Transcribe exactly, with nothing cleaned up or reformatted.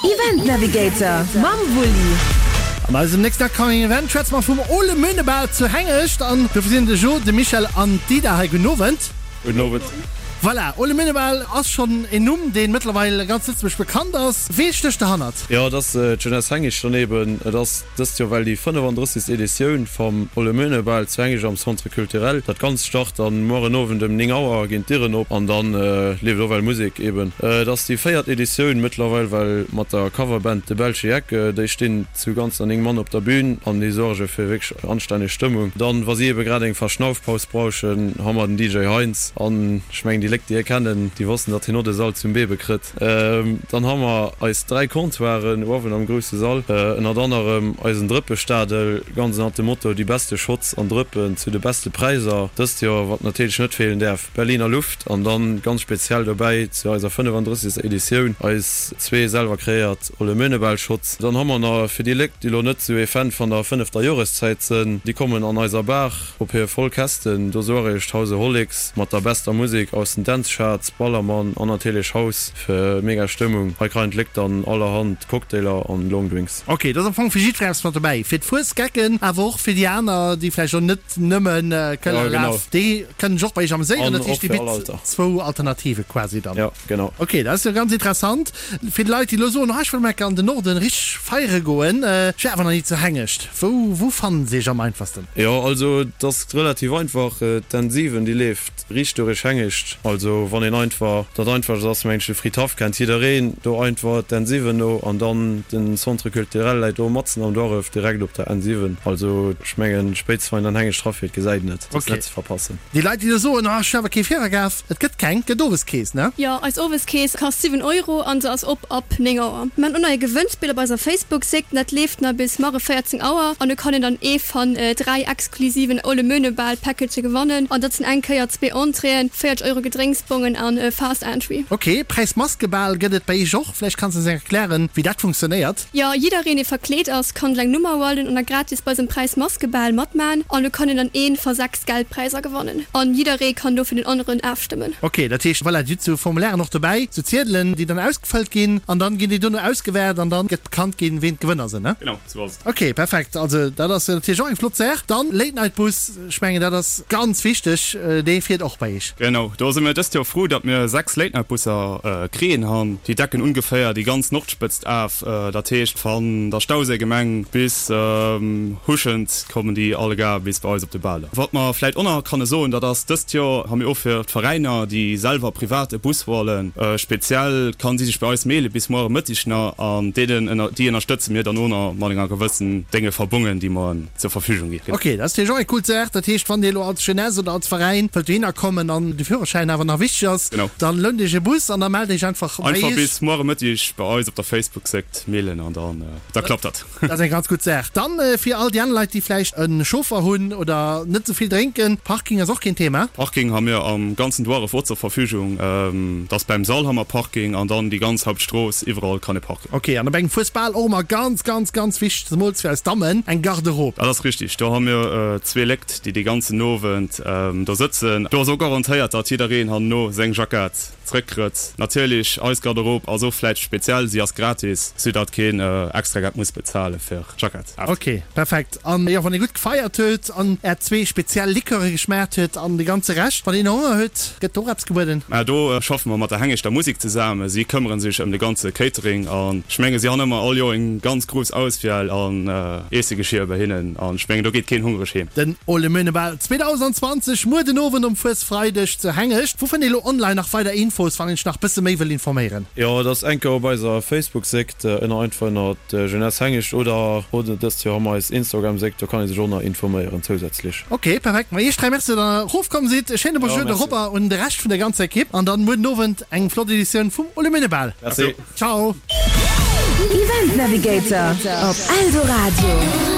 Event Navigator mam Wulli. An eisem nächsten Upcoming Event schwätze mer vum Ole Möhnebal zu Hengescht an dofir sinn de Jo, de Michel an d'Ida hei. Gudden Owend. Gudden Owend. Voilà, Ole Möhnebal ass schonn en Numm, dee mëttlerweil ganz Lëtzebuerg bekannt ass. Wee stécht derhannert? Jo, et ass d'Jeunesse Hengescht dann eben. Et ass dëst Joer well déi fënnefandrëssegst Editioun vam Ole Möhnebal zu Hengescht am Centre Culturel. Dat Ganzt start dann mueren Owend ëm néng Auer, ginn d'Dieren op an dann leeft och well Musek eben. Et ass déi véiert Editioun mëttlerweil well mat der Coverband De Belsche Jeck. Déi stinn zu ganzer néng Mann op der Bühn an déi suerge fir wierklech anstänneg Stëmmung. Dann, wa si ebe grad eng Verschnaufpaus brauchen, ha mer den D J Heinz an ech mengen déi Léck déi hie kennen, déi wossen datt hien och de Sall zum Bebe kritt. Dann ha mer eis dräi Comptoiren uewen am grousse Sall, ënnert anerem eisen Drëppestadel, ganz ënnert dem Motto Déi beste Shots an Drëppen zu de beste Präisser. Dëst Joer, wat natierlech net feelen däerf, Berliner Luft an dann ganz speziell dobäi zu eiser fënnefandrëssegster Editioun eis zwee selwer kreéiert Ole Möhnebal Shots. Dann ha mer nach fir déi Léck déi lo net sou ee Fan van der fënnefter Joreszäit sënn, déi kommen an eiser Bar op hir voll Kästen. Do suaregt Householics mat der bester Musek aus den Dance Charts, Ballermann an natierlech House fir mega Stëmmung. Hei kreien d'Léck dann allerhand Cocktailer an Longdrinks. Ok, do ass am Fong fir jiddweree eppes mat dobäi, fir d'Fuesgecken, awer och fir déi aner, déi vläicht och net nëmmen Këller Ja, genau. laf, déi kënnen sech och bei iech ameséieren. An Dat och heescht, dir fir all bitt Alter. zwou Alternative quasi dann. Ja, genau. Ok, dat ass jo ganz interessant. Fir déi Leit, déi elo soen, oh ech wëll mol enker an den Norden richteg feiere goen, ech wär awer nach ni zu Hengescht, wou, wou fannen se iech am einfachsten? Jo, also et ass relativ einfach, d'N siwen déi leeft riicht durich Hengescht. Also wann een einfach, dat einfachst ass mengen ech, de Fridhaff kennt jiddereen, do einfach d'N siwen no an dann den Centre Culturel läit do matzen am Duerf direkt op der N siwen. Also ech mengen spéitstens wann een an Hengescht rafiert gesäit een et, et ass Okay. net ze verpassen. Déi Leit, déi elo soen, oh ech hunn awer kee Virerkaf, et gëtt keng, et gëtt Oweskeess, ne? Jo, eis Oweskeess kascht siwen Euro an se ass op ab néng Auer. Mir han och nach e Gewënnspill op eiser Facebook-Séit, dat leeft nach bis marre véierzéng Auer an do kann een dann ee van dräi exklusiven Ole Möhnebal Packagë gewannen an dat sinn eng Kéier zwee Entréeën, véierzeg Euro Gedrénksbongen an Fast Entry. Ok, Präis Maskebal gëtt et bei iech och. Vläicht kanns de eis erklären, wéi dat funktionéiert? Jo, jiddereen dee verkleet ass, kann seng Nummer hualen an da gratis bei eisem Präis Maskebal matmaan an do kann een dann een va sechs Geldpräiser gewannen an jidderee kann do fir den aneren aafstëmmen. Ok, dat heescht, voilà, dir hutt sou Formulairen och dobäi, sou Ziedelen, déi dann ausgefëllt ginn an dann ginn déi dono ausgewäert an dann gëtt bekannt ginn, ween d'Gewënner sinn, ne? Genau, sou ass et. Ok, perfekt. Also dat ass natierlech och eng flott Saach. Dann Late Night Bus, ech mengen dat ass ganz wichteg, dee fiert och bei iech. Genau, do si mir dëst Joer frou, datt mir sechs Late Night Busser kriien han. Déi decken ungeféier déi ganz Nordspëtzt af, dat heescht van der Stauséigemeng bis Huschent kommen déi allegar bis bei eis op de Bal. Wat mer vläit och nach kanne soen, dat ass, dëst Joer ha mir och fir d'Veräiner, déi selwer privat e Bus hualen, speziell kann si sech bei eis mailen bis muere Mëttig nach an deenen ënner déi ënnerstëtze mir dann och nach mat enger gewëssen Dénge Verbongen, déi mer en zur Verfügung ginn. Ok, dat ass natierlech och eng cool Saach. Dat heescht, wann Dir elo als Jeunesse oder als Veräin wëllt dohinner kommen an de Führerschäin awer nach wichteg ass, Genau. dann lount Iech e Bus an da mellt Iech einfach bei Einfach Iech. bis muere Mëttig bei eis op der Facebook-Séit mailen an dann da klappt dat. Dat ass eng ganz gutt Saach. Dann fir all déi aner Leit, déi vläicht e Chauffer hunn oder net esou vill drénken, Parking ass och keen Thema. Parking ha mir am ganzen Duarref och zur Verfügung. Dat ass beim Sall ha mer Parking an dann déi ganz Hauptstrooss, iwwerall kann ee parken. Ok, an op engem Fuesbal och ëmmer ganz, ganz, ganz wichteg, zemools fir eis Dammen, eng Garderobe. Dat ass richtig, do ha mir zwee Léckt, déi dee ganzen Owend do sëtzen. Do ass och garantéiert, datt jiddereen herno seng Jackett zréckkritt. Natierlech, eis Garderobe ass och vläicht speziell, si ass gratis, soudatt keen extra Geld muss bezale fir d'Jackett. Ok, perfekt. An jo, wann ee gutt gefeiert huet an är zwee speziell Liqueure geschmaacht huet an de ganze Rescht, wann een Honger huet, gëtt do och eppes gebueden? Mä do schaffe mer mat der Hengeschter Musik zesaammen. Si këmmere sech ëm de ganze Catering an ech menge si han ëmmer all Joer eng ganz grouss Auswiel an Iessegeschier bei hinnen an ech mengen do geet keen hungreg heem. Den Ole Möhnebal zweedausendenzwanzeg muer den Owend um Fuesfreideg zu Hengescht. Wou fënnt ee lo online nach weider Infos, wann een sech nach bësse méi wëll informéieren? Jo, et ass enker op eiser Facebook-Séckt ënner einfach ënnert Jeunesse Hengescht oder oder dëst Joer hu mer eis Instagram-Séckt, do kann ee sech och nach informéieren zousätzlech. Ok, perfekt. Ma iech dräi Merci, datt der erofkomm sidd. E schéine Jo, Bonjour de merci. Robert un de Rescht vun der ganzer Ekipp an dann muer den Owend eng flott Editioun vum Ole Möhnebal. Merci. Ciao. Event Navigator op Eldoradio.